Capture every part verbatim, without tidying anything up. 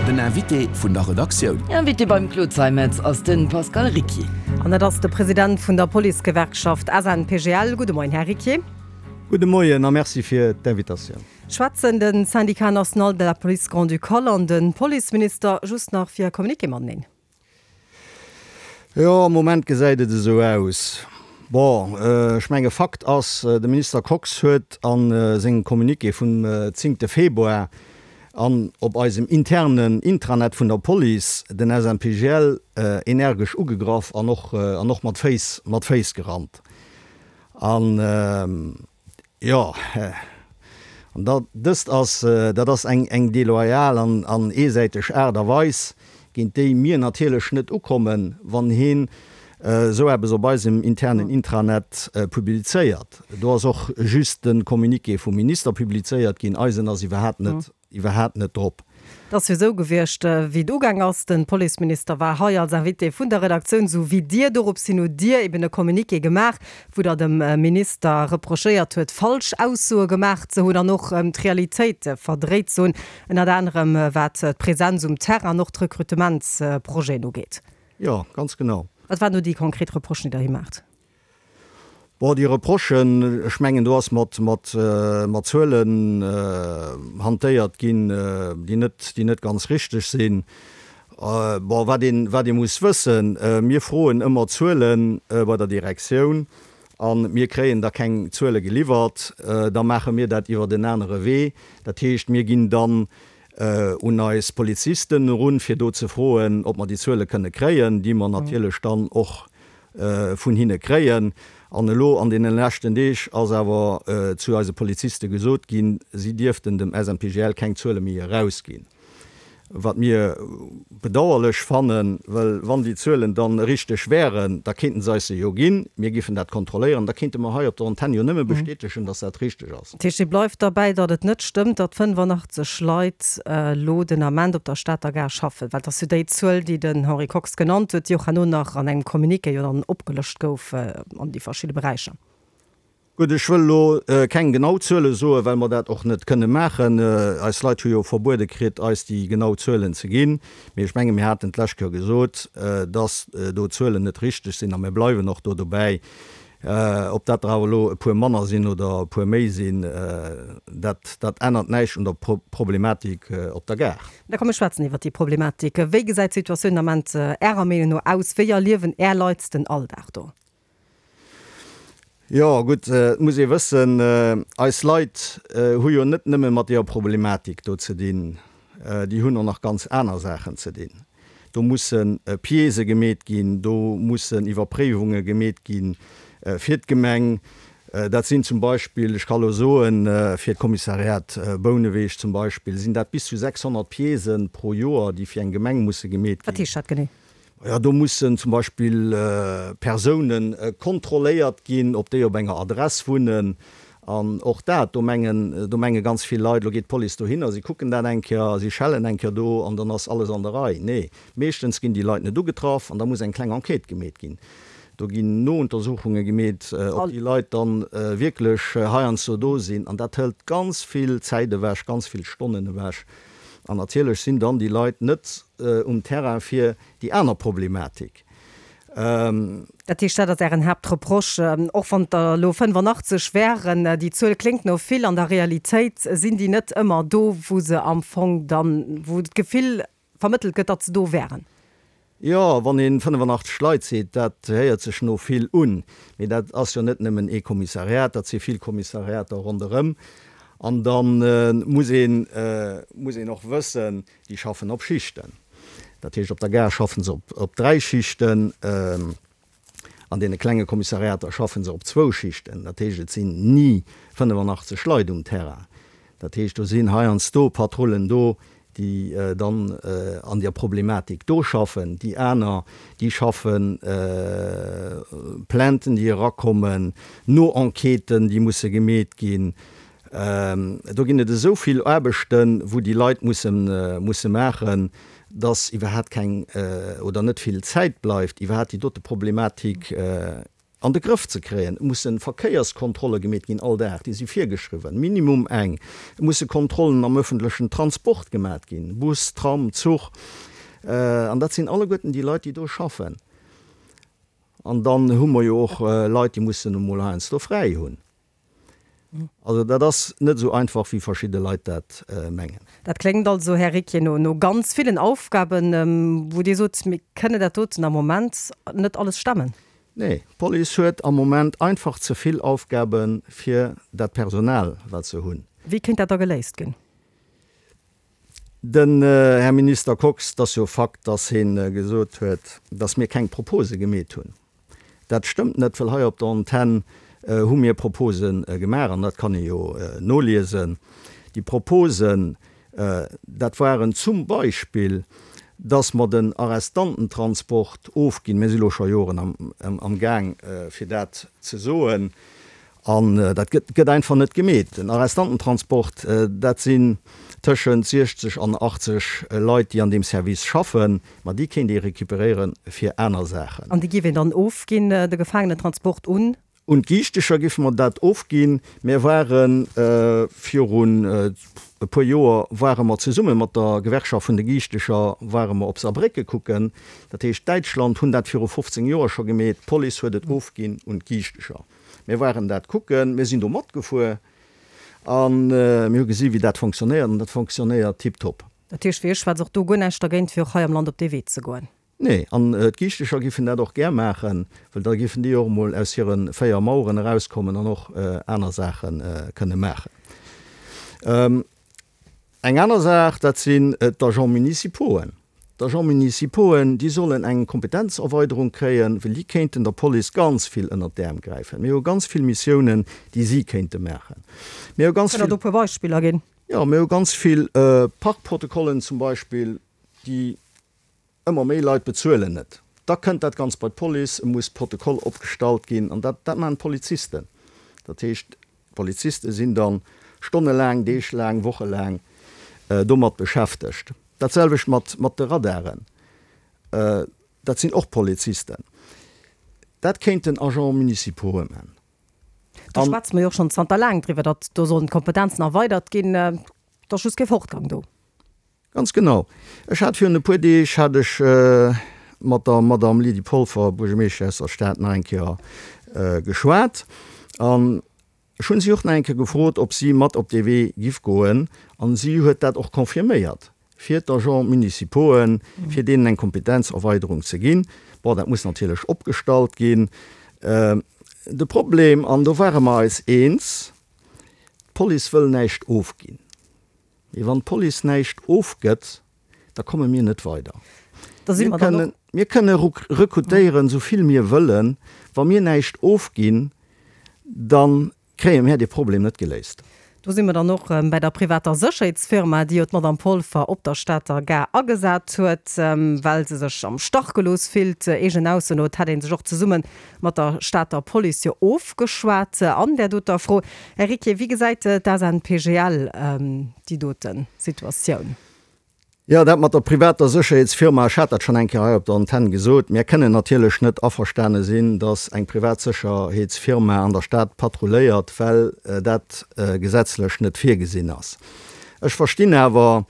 Den Invité vun der Redaktioun. Invité beim Claude Zeimetz ass de Pascal Ricquier. An dat ass de President vun der Policegewerkschaft S N P G L. Gudde Moien, Här Ricquier. Gudde Moien a merci fir d'Invitatioun. Schwätzen de Syndicat national de la Police Grand-Ducale an de Policeminister just nach fir Communiqué mateneen? Jo, am Moment gesäit et esou aus. Bon, ech menge Fakt ass, de Minister Kox huet a sengem Communiqué vum zéngte Februar an op eisem internen Intranet vun der Police den S N P G L energesch ugegraff an och an och mat Féiss mat Féiss gerannt. An jo, an dat dëst ass dat ass eng eng deloyal an an eesäiteg Aart a Weis, géint déi mir natierlech net ukommen, wann hien esou eppes op eisem internen Intranet publizéiert. Do ass och just de Communiqué vum Minister publizéiert ginn, eisen ass iwwerhaapt net iwwerhaapt net drop. Et ass jo esou gewiescht, wéi et ugaang ass, de Policeminister war hei als Invité vun der Redaktioun, sou wéi Dir. Doropshin hutt Dir eben e Communiqué gemaach, wou Der dem Minister reprochéiert huet, falsch Aussoe gemaach ze hunn an och d'Realitéit verdréit ze hunn, ënnert anerem wat d'Presenz um Terrain an och d'Rekrutementsprojeten ugeet. Jo, ganz genau. Wat waren do déi konkret Reprochen, déi Der him maacht? Bon, déi Reprochen, ech mengen, do ass mat, mat, mat Zuelen hantéiert ginn, déi net, déi net ganz richteg sinn. Bon, wat een, wat ee muss wëssen, mir froen ëmmer Zuele bei der Direktioun a mir kréien da keng Zuele geliwwert. Da maache mir dat iwwert en anere Wee. Dat heescht, mir ginn dann un eis Polizisten erun, fir do ze froen, ob mer déi Zuele kënne kréien, déi mer natierlech dann och vun hinne kréien. An elo an deene leschten Deeg ass awer zu eise Poliziste gesot ginn, si dierften dem S N P G L keng Zuele méi erausginn. Wat mir bedauerlech fannen, well wann déi Zuelen dann richteg wären, da kéinten se eis se jo ginn, mir géifen dat kontrolléieren, da kéinte mer hei op der Antenn jo nëmme bestätegen, dass dat richteg ass. Dat heescht, Dir bleift derbäi, datt et net stëmmt, datt fënnefanachtzesch Leit elo den Ament op der Stater Gare schaffen? Well et ass jo déi Zuel, déi den Henri Kox genannt huet, déi och herno nach an engem Communiqué jo dann opgelëscht gouf an déi verschidde Beräicher. Gutt, ech wëll elo keng genau Zuele soen, well mer dat och net kënne maachen. Eis Leit hu jo verbuede kritt, eis déi genau Zuelen ze ginn. Mee ech menge mir haten d'lescht Kéier gesot, dass do d'Zuelen net richteg sinn a mir bleiwen och do dobäi. Ob dat der awer elo e puer manner sinn oder e puer méi sinn, dat, dat ännert näischt un der Problematik op der Gare. Da komm mir schwätzen iwwert déi Problematik. Wéi gesäit d'Situatioun den Ament Ärer Meenung no aus? Wéi erliewen Är Leit den Alldag do? Jo, gutt, et muss ee wëssen, eis Leit hu jo net nëmme mat deeër Problematik do ze dinn, déi hunn och nach ganz aner Saachen ze dinn. Do musse Piècë gemeet ginn, do mussen Iwwerpréiwunge gemeet gi fir d'Gemeng. Dat sinn zum Beispill, ech ka lo soen, fir d'Kommissariat Bouneweg zum Beispill sinn dat bis zu sechshonnert Piècë pro Joer, déi fir eng Gemeng musse gemeet Wat ginn. heescht dat genee? Jo, do mussen zum Beispill Persoune kontrolléiert ginn, ob déi op enger Adress wunnen. An och dat, do mengen, do menge ganz vill Leit, elo geet d'Police dohinner, si kucken dat eng Kéier, si schellen eng Kéier do an dann ass alles an der Rei. Nee, meeschtens ginn déi Leit net ugetraff an da muss eng kleng Enquête gemeet ginn. Do ginn Nountersuchunge gemeet, ob déi Leit dann wierklech heiansdo do sinn. An dat hëlt ganz vill Zäit ewech, ganz vill Stonnen ewech. An natierlech sinn dann déi Leit net um Terrain fir déi aner Problematik. Dat heescht, dat ass Ären Haaptreproche, och wann et der elo fënnefanachtzesch wären, déi Zuel kléngt no vill, an der Realitéit sinn déi net ëmmer do, wou se am Fong dann, wou d'Gefill vermëttelt gëtt, datt se do wären. Jo, wann ee fënnefanachtzesch Leit seet, dat héiert sech no vill un. Mee dat ass jo net nëmmen ee Kommissariat, dat si vill Kommissariater ronderëm. An da muss een, muss een och wëssen, déi schaffen op Schichten. Dat heescht, op der Gare schaffen se op, op dräi Schichten, an deene klenge Kommissariater schaffen se op zwou Schichten. Dat heescht, et sinn ni fënnefanachtzesch Leit um Terrain. Dat heescht, do sinn heiansdo Patrullen do, déi dann an der Problematik do schaffen. Déi aner, déi schaffen Plainten, déi erakommen, No-Enquêten, déi musse gemeet ginn. Do ginn et esou vill Aarbechten, wou déi Leit musse musse maachen, dass iwwerhaapt keng oder net vill Zäit bleift, iwwerhaapt déi dote Problematik an de Grëff ze kréien. Et musse Verkéierskontrolle gemeet ginn all Dag, déi si virgeschriwwen, minimum eng. Et musse Kontrollen am öffentlechen Transport gemat ginn, Bus, Tram, Zuch. An dat sinn alleguerten déi Leit, déi do schaffen. An dann hu mer jo och Leit, déi mussen emol heiansdo fräi hunn. Also dat ass net esou einfach, wéi verschidde Leit dat mengen. Dat kléngt also, Här Ricquier, no no ganz villen Aufgaben, wou Dir sot, mir kënne dat doten am Moment net alles stemmen. Nee, d'Police huet am Moment einfach ze vill Aufgabe fir dat Personal, wat se hunn. Wéi kéint dat da geléist ginn? Den Här Minister Kox, et ass jo Fakt, dass hie gesot huet, dass mir keng Propose gemeet hunn. Dat stëmmt net, well hei op der Antenn hu mir Propose gemaach, an dat kann ee jo noliesen. Déi Proposen, dat waren zum Beispill, dass mer den Arrestantentransport ofginn. Mir si lo scho Joren amgaang, fir dat ze soen, an dat gëtt einfach net gemeet. Den Arrestantentransport, dat sinn tëschent siechzeg an achtzeg Leit, déi an deem Service schaffen, ma déi kéint ee recuperéiere fir aner Saachen. An déi géif een dann ofginn, de Gefaangenentransport un? Un d'Giichtecher géife mer dat ofginn. Mir ware virun e puer Joer ware mer zesumme mat der Gewerkschaft vun de Giichtecher ware mer op Saarbrécke kucken. Dat heescht, Däitschland hunn dat viru fofzéng Joer scho gemeet, d'Police huet et ofginn un d'Giichtecher. Mir waren dat kucken, mir sinn do matgefuer a mir hu gesi wéi dat fonctionnéiert an dat fonctionnéiert tiptop. Dat heescht, fir Iech schwätzt och do guer näischt dergéint, fir och hei am Land op dee Wee ze goen? Nee, an d'Giichtecher giffen dat och gär maachen, well da giffen déi och emol aus hire véier Maueren erauskommen an och aner Saache kënne maachen. Eng aner Saach, dat sinn d'Agents municipauxen. D'Agents municipauxen, déi sollen eng Kompetenzerweiderung kréien, well déi kéinten der Police ganz vill ënnert d'Äerm gräifen. Mir hu ganz vill Missiounen, déi si kéinte maachen. Mir hu ganz Kënnt Der vill. do e puer Beispiller ginn? Jo, mir hu ganz vill Parkprotokollen zum Beispill, déi Ëmmer méi Leit bezuelen net. Da kënnt dat Ganzt bei d'Police, et muss Protokoll opgestallt ginn an dat dat maachen d'Polizisten. Dat heescht, d'Poliziste sinn da stonnelaang, deeglaang, wochelaang domat beschäftegt. Dat selwecht mat mat de Radaren, dat sinn och Polizisten. Dat kéinten Agents municipaux'e man. Do schwätze mer jo och schonn zanter laang driwwer, datt do sollen d'Kompetenzen erweidert ginn. Et ass just kee Fortgang do. Ganz genau. Ech hat virun e puer Deeg hat ech mat der Madame Lydie Polfer, Buergermeeschtesch aus der Stad, nach eng Kéier geschwat an ech hunn si och nach eng Kéier gefrot, ob si mat op dee Wee giff goen an si huet dat och confirméiert, fir d'Agents municipauxen, fir deenen eng Kompetenzerweiderung ze ginn. Bon, dat muss natierlech opgestallt ginn. De Problem, an do ware mer eis eens, d'Police wëll näischt ofginn. Mee wann d'Police näischt ofgëtt, da komme mir net weider. Mir kënnen, mir kënne rekrutéieren, esou vill mir wëllen. Wa mir näischt ofginn, da kréie mir dee Problem net geléist. Do si mer dann och bäi der privater Sécherheetsfirma, déi jo d'Madame Polfer op der Stater Gare agesat huet, well se sech am Stach gelooss fillt. Eegenen Ausso no, et hätt ee sech och zesumme mat der Stater Police jo ofgeschwat an där doter Fro. Här Ricquier, wéi gesäit d'SNPGL déi dote Situatioun? Jo, dat mat der privater Sécherheetsfirma, ech hat dat schonn eng Kéier hei op der Antenn gesot, mir kënnen natierlech net averstane sinn, datt eng privat Sécherheetsfirma an der Stad patrulléiert, well dat gesetzlech net virgesinn ass. Ech verstinn awer,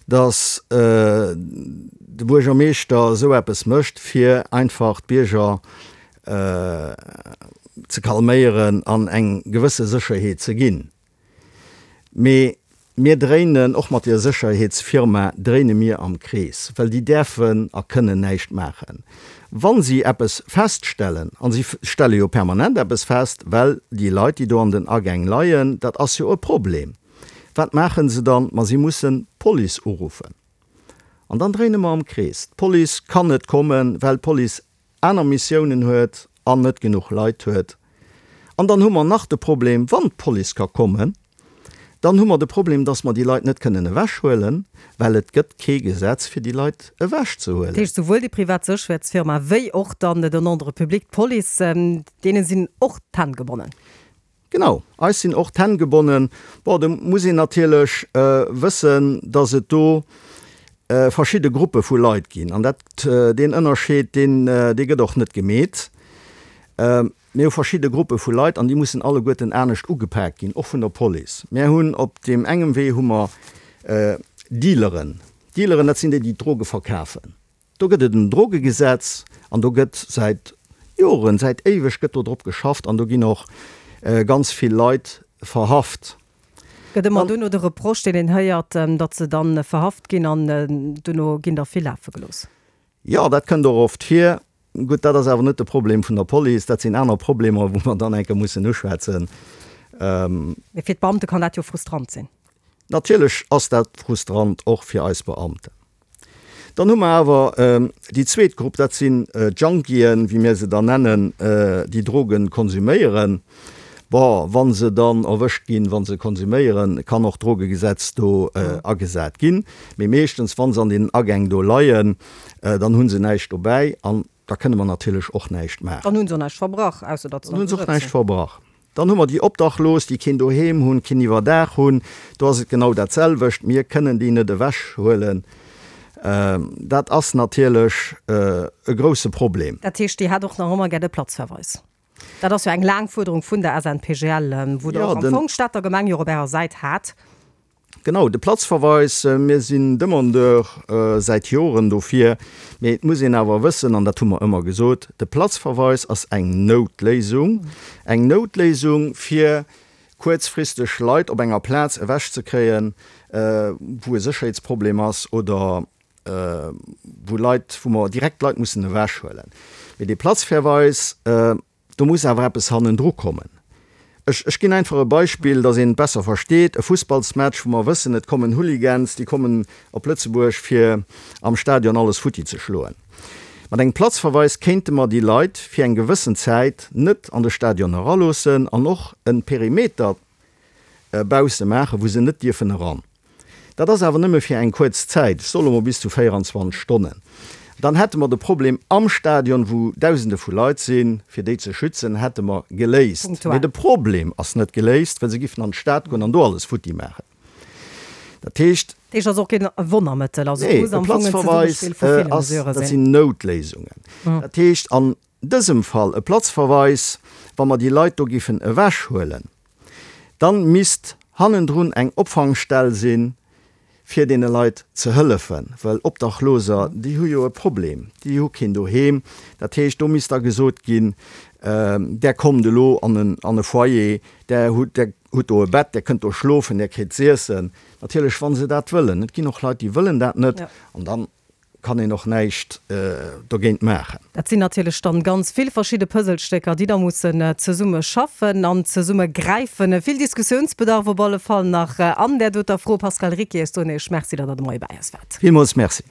datt de Buergermeeschter esou eppes mécht, fir einfach d'Bierger ze calméieren an eng gewësse Sécherheet ze ginn. Mee mir dréinen, och mat deer Sécherheetsfirma dréine mir am Krees, well déi däerfen a kënnen näischt maachen. Wa si eppes feststellen, a si stelle jo permanent eppes fest, well déi Leit, déi do an den Agäng leien, dat ass jo e Problem. Wat maache se dann? Ma si mussen d'Police uruffen. An dann dréine mer am Krees. D'Police kann net kommen, well d'Police aner Missiounen huet an net genuch Leit huet. An dann hu mer nach de Problem, wann d'Police ka kommen, dann hu mer de Problem, dass mer déi Leit net kënnen ewechhuelen, well et gëtt kee Gesetz, fir déi Leit ewechzehuelen. Dat heescht, souwuel déi privat Sécherheetsfirma wéi och dann den Ordre public, d'Police, deene sinn och d'Hänn gebonnen. Genau, eis sinn och d'Hänn gebonnen. Bon, do muss een natierlech wëssen, dass et do verschidde Gruppe vu Leit ginn. An dat, deen Ënnerscheed, deen, dee gëtt och net gemeet. Mir hu verschidde Gruppe vu Leit an déi mussen alleguerten anescht ugepaakt ginn, och vun der Police. Mir hunn op deem engem Wee hu mer Dealeren. Dealeren, dat sinn déi, déi d'Droge verkafen. Do gëtt et en Drogegesetz an do gëtt säit Joren, säit éiweg gëtt do drop geschafft an do ginn och ganz vill Leit verhaft. Gëtt ëmmer duerno de Reproche, deen een héiert, datt se dann verhaft ginn an duerno ginn der vill lafe gelooss. Jo, dat kënnt och oft vir. Gutt, dat ass awer net de Problem vun der Police, dat sinn aner Problemer, wou mer dann eng Kéier mussen uschwätzen. Mee fir d'Beamte kann dat jo frustrant sinn. Natierlech ass dat frustrant, och fir eis Beamten. Dann hu mer awer déi zweet Grupp, dat sinn d'Junkien, wéi mir se dann nennen, déi Droge konsuméieren. Bon, wa se dann erwëscht ginn, wa se konsuméieren, kann och d'Drogegesetz do agesat ginn. Mee meeschtens, wa se an deenen Agäng do leien, dann hu se näischt dobäi an da kënne mer natierlech och näischt maachen. Dann hu se och näischt verbrach, ausser datt se Dann hu se och näischt verbrach. Dann hu mer déi Obdachlos, déi keen Doheem hunn, keen Iwwerdaach hunn. Do ass et genau dat selwecht. Mir kënnen déi net ewechhuelen. Dat ass natierlech e grousse Problem. Dat heescht, Dir hätt och nach ëmmer gär de Platzverweis? Dat ass jo eng laang Fuerderung vun der S N P G L, wou Der och am Fong d'Stater Gemeng jo och op Ärer Säit hat. Genau, de Platzverweis, mir sinn Demandeur säit Joren dofir. Mee et muss een awer wëssen, an dat hu mer ëmmer gesot, de Platzverweis ass eng Noutléisung, eng Noutléisung fir kuerzfristeg Leit op enger Plaz ewechzekréien, wou e Sécherheetsproblem ass oder wou Leit, wou mer direkt Leit mussen ewechhuelen. Mee dee Platzverweis, do muss awer eppes hannendru kommen. Ech, ech ginn einfach e Beispill, dass een et besser versteet, E Fussballsmatch, wou mer wëssen, et kommen Hooligans, déi kommen op Lëtzebuerg, fir am Stadion alles futti ze schloen. Mat engem Platzverweis kéinte mer déi Leit fir eng gewëssen Zäit net an de Stadion eraloossen an och e Perimeter bausse maachen, wou se net dierfen eran. Dat ass awer nëmme fir eng kuerz Zäit, ech soe mol bis zu véierundzwanzeg Stonnen. Dann hätte mer de Problem am Stadion, wou Dausende vu Leit sinn, fir déi ze schützen, hätte mer geléist. Mee de Problem ass net geléist, well se giffen an d'Stad goen an do alles futti maachen. Dat heescht. Dat heescht, et ass och keen Wonnermëttel. Also et muss am Fong en Zesummespill vu ville Mesurë sinn. Dat sinn Noutléisungen. Dat heescht an dësem Fall e Platzverweis, wa mer déi Leit do giffen ewechhuelen, dann misst hannendrun eng Opfangstell sinn, fir deene Leit ze hëllefen, well Obdachloser, déi hu jo e Problem, déi hu keen Doheem. Dat heescht, do misst da gesot ginn, Där kommt elo an e Foyer, där hutt, där hutt do e Bett, där kënnt do schlofen, där kritt z'iessen. Natierlech, wa se dat wëllen. Et ginn och Leit, déi wëllen dat net an dann kann een och näischt dogéint maachen. Dat sinn natierlech dann ganz vill verschidde Puzzlestécker, déi da mussen zesumme schaffen an zesumme gräifen. Vill Diskussiounsbedarf op alle Fall nach an där doter Fro. Pascal Ricquier, ech soen Iech Merci, datt Der de Moie bäi eis waart. Villmools Merci.